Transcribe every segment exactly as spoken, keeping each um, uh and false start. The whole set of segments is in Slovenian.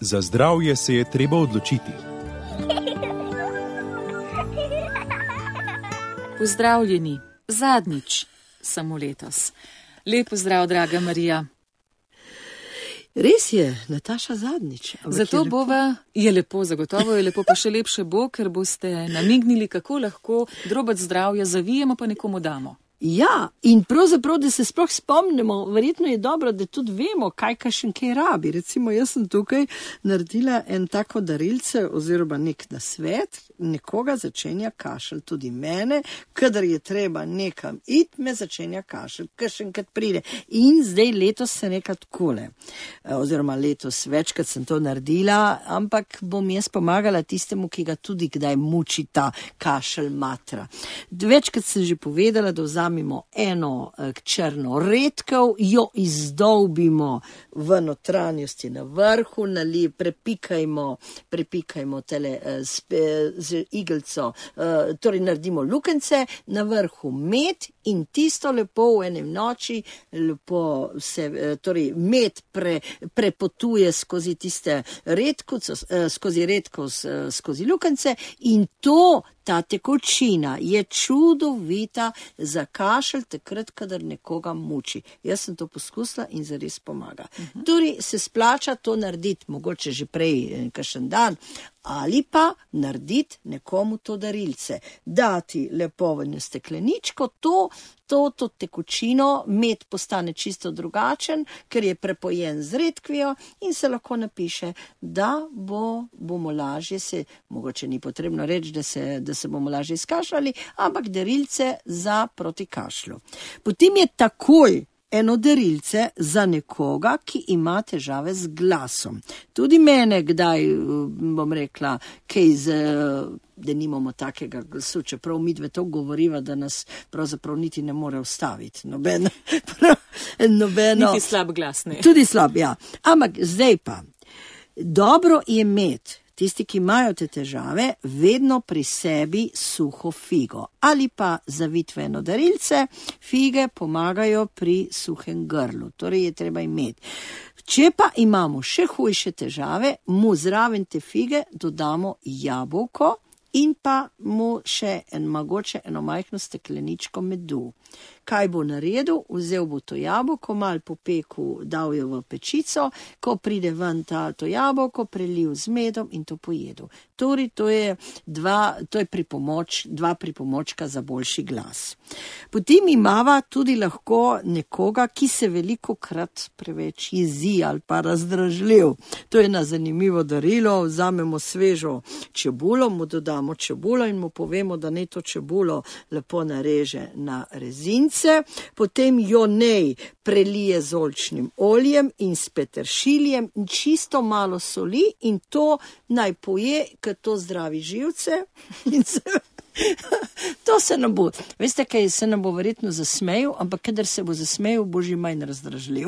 Za zdravje se je treba odločiti. Pozdravljeni, zadnjič, samo letos. Lep pozdrav, draga Marija. Res je, Nataša, zadnjič. Zato je bova, je lepo, zagotovo je lepo, pa še lepše bo, ker boste namignili, kako lahko drobec zdravja zavijemo, pa nekomu damo. Ja, in pravzaprav, da se sploh spomnimo, verjetno je dobro, da tudi vemo, kaj kakšen kaj rabi. Recimo, jaz sem tukaj naredila en tako darilce oziroma nek nasvet, nekoga začenja kašelj, tudi mene, kadar je treba nekam iti, me začenja kašelj, kakšenkrat pride. In zdaj letos se nekaj takole, oziroma letos večkrat sem to naredila, ampak bom jaz pomagala tistemu, ki ga tudi kdaj muči ta kašelj matra. Večkrat sem že povedala, da vzamemo eno črno redkev, jo izdolbimo v notranjosti na vrhu, nali, prepikajmo, prepikajmo tele spe, z igelco, torej naredimo lukence, na vrhu med in tisto lepo v enem noči, lepo se, torej med pre, prepotuje skozi tiste redko, skozi redko, skozi lukence in to, ta tekočina je čudovita za kašelj takrat, kadar nekoga muči. Jaz sem to poskusila in zares pomaga. Uh-huh. Torej se splača to narediti, mogoče že prej kakšen dan, ali pa narediti nekomu to darilce. Dati lepo v stekleničko, to, to, to tekočino, med postane čisto drugačen, ker je prepojen z redkvijo in se lahko napiše, da bo, bomo lažje se, mogoče ni potrebno reči, da se, da se bomo lažje izkašljali, ampak darilce za proti kašlju. Potem je takoj eno darilce za nekoga, ki ima težave z glasom. Tudi mene kdaj, bom rekla, kaj z, da nimamo takega glasu, čeprav midve to govoriva, da nas pravzaprav niti ne more ustaviti. Nobeno, nobeno. Niti slab glas, ne. Tudi slab, ja. Ampak zdaj pa, dobro je imeti, tisti, ki imajo te težave, vedno pri sebi suho figo ali pa zavitveno darilce. Fige pomagajo pri suhem grlu, torej je treba imeti. Če pa imamo še hujše težave, mu zraven te fige dodamo jabolko in pa mu še en, mogoče eno majhno stekleničko medu. Kaj bo naredil? Vzel bo to jabolko, mal popeku, dal jo v pečico, ko pride ven ta, to jabolko, prelil z medom in to pojedel. Torej, to je, dva, to je pripomoč, dva pripomočka za boljši glas. Potem imava tudi lahko nekoga, ki se veliko krat preveč jezi ali pa razdražljiv. To je na zanimivo darilo, vzamemo svežo čebulo, mu dodamo čebulo in mu povemo, da ne to čebulo lepo nareže na rezince, potem jo nej prelije z oljčnim oljem in s peteršiljem in čisto malo soli in to naj poje, ker to zdravi živce in se... To se nam bo, veste kaj, se nam bo verjetno zasmejal, ampak kadar se bo zasmejal, bo že manj razdražljiv.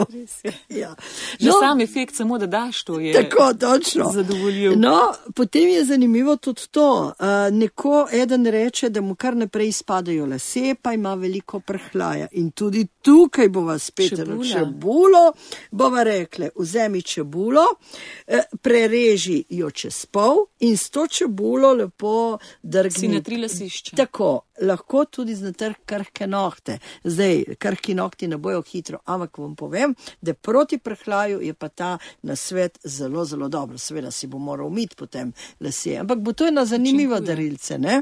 Ja. Že no, sam efekt samo, da daš to je tako, točno. Zadovoljiv. No, potem je zanimivo tudi to, uh, neko eden reče, da mu kar naprej spadajo lase, pa ima veliko prhljaja in tudi tukaj bova spet čebulo, bova rekle, vzemi čebulo, eh, prereži jo čez pol in s to čebulo lepo drgni. Si natrila sišče. Tako, lahko tudi znatr krhke nohte. Zdaj, krhki nohti ne bojo hitro, ampak vam povem, da proti prhljaju je pa ta nasvet zelo, zelo dobro. Seveda si bo moral umiti potem lase, ampak bo to ena zanimiva darilce, ne?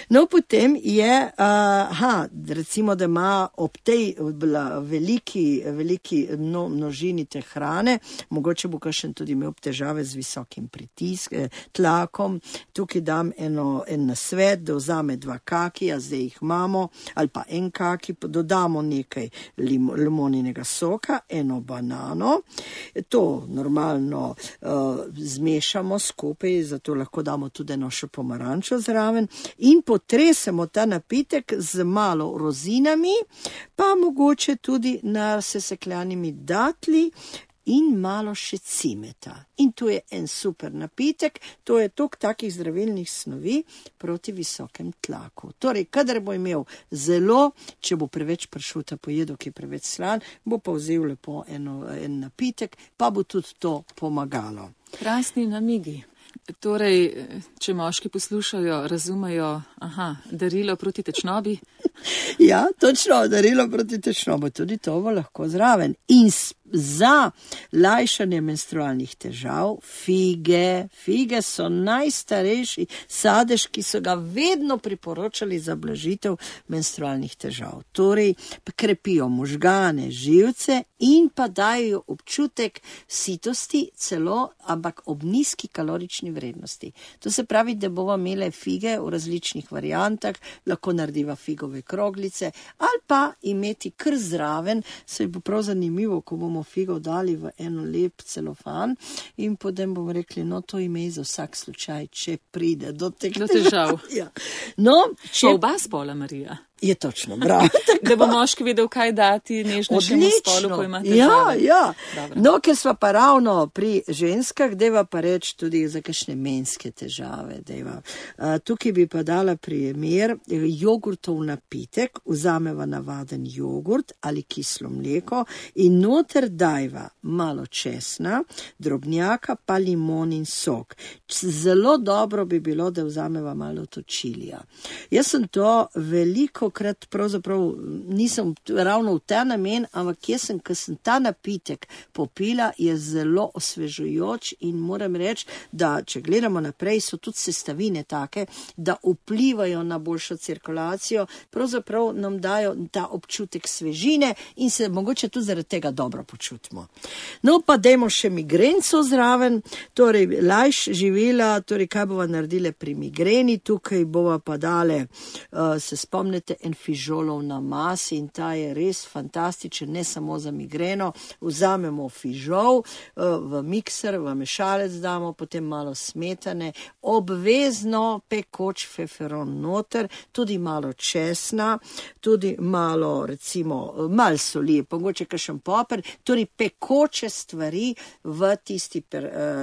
No, potem je, uh, aha, recimo, da ima ob tej veliki, veliki mno, množini te hrane, mogoče bo kakšen tudi imel težave z visokim pritiskom, tlakom, tukaj dam eno, en nasvet, da vzame dva kakija, zdaj jih imamo, ali pa en kaki, dodamo nekaj lim, limoninega soka, eno banano, to normalno uh, zmešamo skupaj, zato lahko damo tudi eno še pomarančo zraven in potresemo ta napitek z malo rozinami, pa mogoče tudi nasesekljanimi datli in malo še cimeta. In to je en super napitek, to je tok takih zdravilnih snovi proti visokem tlaku. Torej, kadar bo imel zelo, če bo preveč pršuta pojedel, ki je preveč slan, bo pa vzel lepo eno, en napitek, pa bo tudi to pomagalo. Krasni namigi. Torej, če moški poslušajo, razumejo, aha, darilo proti tečnobi. Ja, točno, darilo proti tečnobi, tudi to bo lahko zraven. In za lajšanje menstrualnih težav, fige, fige so najstarejši sadež, ki so ga vedno priporočali za blažitev menstrualnih težav. Torej, krepijo možgane, živce in pa dajo občutek sitosti celo, ampak ob nizki kalorični vrednosti. To se pravi, da bomo imeli fige v različnih variantah, lahko narediva figove kroglice ali pa imeti kar zraven, se bo prav zanimivo, ko bomo figo dali v eno lep celofan in potem bomo rekli, no to ime za vsak slučaj, če pride do teh do težav. Ja. No, če... Pa oba spola, Marija. Je točno, bravo. Da bo moški vedel, kaj dati nežnejšemu spolu, ko ima težave. Ja, ja. Dobro. No, ker sva pa ravno pri ženskah, deva pa reči tudi za kakšne menske težave. Deva. Uh, tukaj bi pa dala primer jogurtov napitek, vzameva navaden jogurt ali kislo mleko in noter dajva malo česna, drobnjaka pa limon in sok. Zelo dobro bi bilo, da vzameva malo točilija. Jaz sem to veliko krat pravzaprav nisem ravno v ta namen, ampak jaz sem, ko sem ta napitek popila, je zelo osvežujoč in moram reči, da če gledamo naprej, so tudi sestavine take, da vplivajo na boljšo cirkulacijo, pravzaprav nam dajo ta občutek svežine in se mogoče tudi zaradi tega dobro počutimo. No pa dajmo še migrenco zraven, torej lajš živela, torej kaj bova naredile pri migreni, tukaj bova pa dale, uh, se spomnite, en fižolov namaz in ta je res fantastičen, ne samo za migreno. Vzamemo fižol v mikser, v mešalec damo, potem malo smetane, obvezno pekoč feferon noter, tudi malo česna, tudi malo, recimo, malo soli, mogoče kakšen poper, torej pekoče stvari v tisti,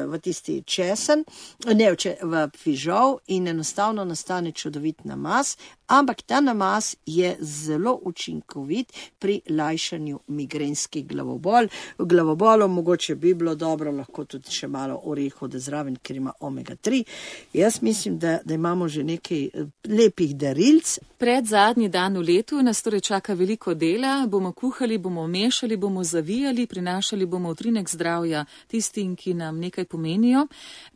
v tisti česen, ne, v fižol in enostavno nastane čudovit namaz, ampak ta namaz je zelo učinkovit pri lajšanju migrenskih glavobol. V glavobolu mogoče bi bilo dobro, lahko tudi še malo orehov, da zraven, ker ima omega tri. Jaz mislim, da, da imamo že nekaj lepih darilc. Pred zadnji dan v letu nas torej čaka veliko dela, bomo kuhali, bomo mešali, bomo zavijali, prinašali bomo utrinek zdravja tistim, ki nam nekaj pomenijo.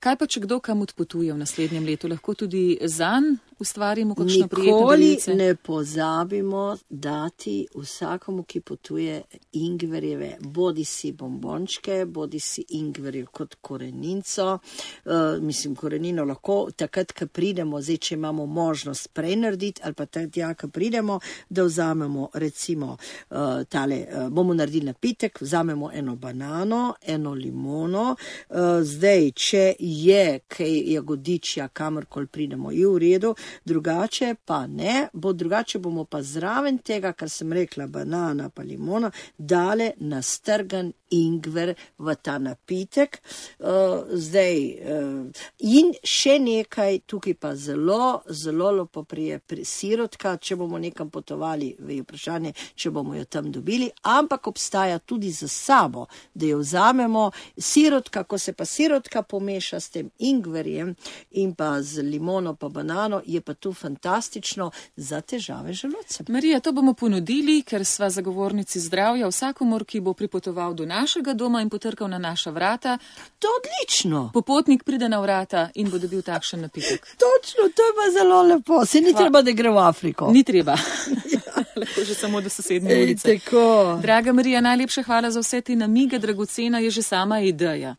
Kaj pa, če kdo kam odpotuje v naslednjem letu, lahko tudi zanj ustvarimo kakšno prijetno darilce? Nikoli ne pozabimo dati vsakomu, ki potuje, ingverjeve, bodi si bombončke, bodi si ingverjev kot koreninco. Uh, mislim, korenino lahko takrat, ko pridemo, zdaj, če imamo možnost prej narediti, ali pa takrat, ko pridemo, da vzamemo recimo uh, tale, uh, bomo naredili napitek, vzamemo eno banano, eno limono, uh, zdaj, če je kaj jagodičja, kamorkoli pridemo, je v redu, drugače pa ne, bo drugače bomo pa zraven tega, kar sem rekla, banana pa limona, dale nastrgan ingver v ta napitek. Uh, zdaj, uh, in še nekaj, tukaj pa zelo, zelo lepo prije pri sirotka, če bomo nekam potovali, je vprašanje, če bomo jo tam dobili, ampak obstaja tudi za sabo, da jo vzamemo. Sirotka, ko se pa sirotka pomeša s tem ingverjem in pa z limono pa banano, je pa tu fantastično za težave želodca. Marija, to bomo ponudili, ker sva zagovornici zdravja vsakomor, ki bo pripotoval do našega doma in potrkal na naša vrata. To odlično. Popotnik pride na vrata in bo dobil takšen napitek. Točno, to je pa zelo lepo. Se ni Hva... treba, da gre v Afriko. Ni treba. Lahko že samo do sosednje ulice. Ej, tako. Draga Marija, najlepša hvala za vse te namige, dragocena je že sama ideja.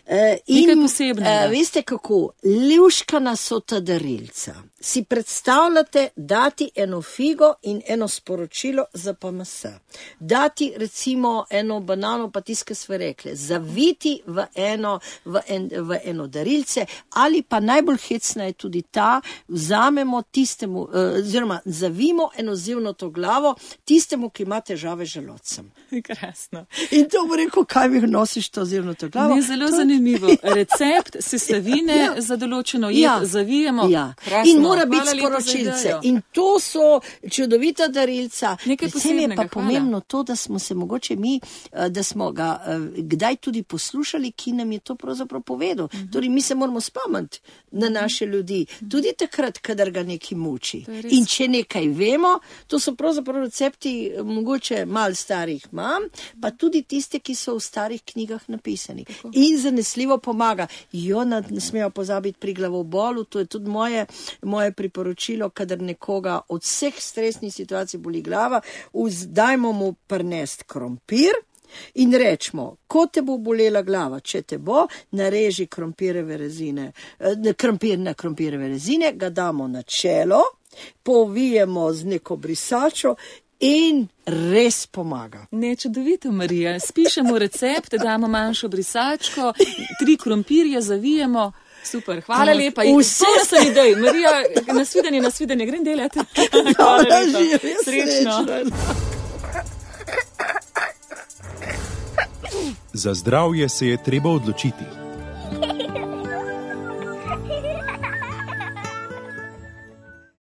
Uh, in, Nekaj posebnega. Uh, veste kako, ljuškana so ta darilca. Si predstavljate dati eno figo in eno sporočilo za P M S. Dati recimo eno banano, pa tiskaj sve rekle, zaviti v eno, v, en, v eno darilce, ali pa najbolj hecna je tudi ta, vzamemo tistemu, oziroma uh, zavimo eno zivno to glavo tistemu, ki ima težave z želodcem. Krasno. In to bo rekel, kaj mi nosiš to zirnato glavo. Ni zelo to... zanimivo. Recept sestavine ja. za določeno jed ja. zavijemo. Ja. In mora biti sporočilce. In to so čudovita darilca. Nekaj posebnega. Je pa pomembno to, da smo se mogoče mi, da smo ga kdaj tudi poslušali, ki nam je to pravzaprav povedal. Uh-huh. Torej, mi se moramo spomniti na naše ljudi. Tudi takrat, kadar ga nekaj muči. In če nekaj vemo, to so pravzaprav recepti mogoče malo starih mam, pa tudi tiste, ki so v starih knjigah napisani. Tako. In zanesljivo pomaga. Jo, ne smejo pozabiti pri glavobolu, to je tudi moje, moje priporočilo, kadar nekoga od vseh stresnih situacij boli glava, dajmo mu prnest krompir in rečemo, ko te bo bolela glava, če te bo, nareži krompireve rezine, krompir na krompireve rezine, ga damo na čelo, povijemo z neko brisačo in res pomaga. Ne, čudovito, Marija. Spišemo recept, damo manjšo brisačko, tri krompirje zavijemo. Super, hvala tak, lepa. Vse so idej. Marija, nasvidenje, nasvidenje, grem delati. Hvala lepa. Srečno. Za zdravje se je treba odločiti.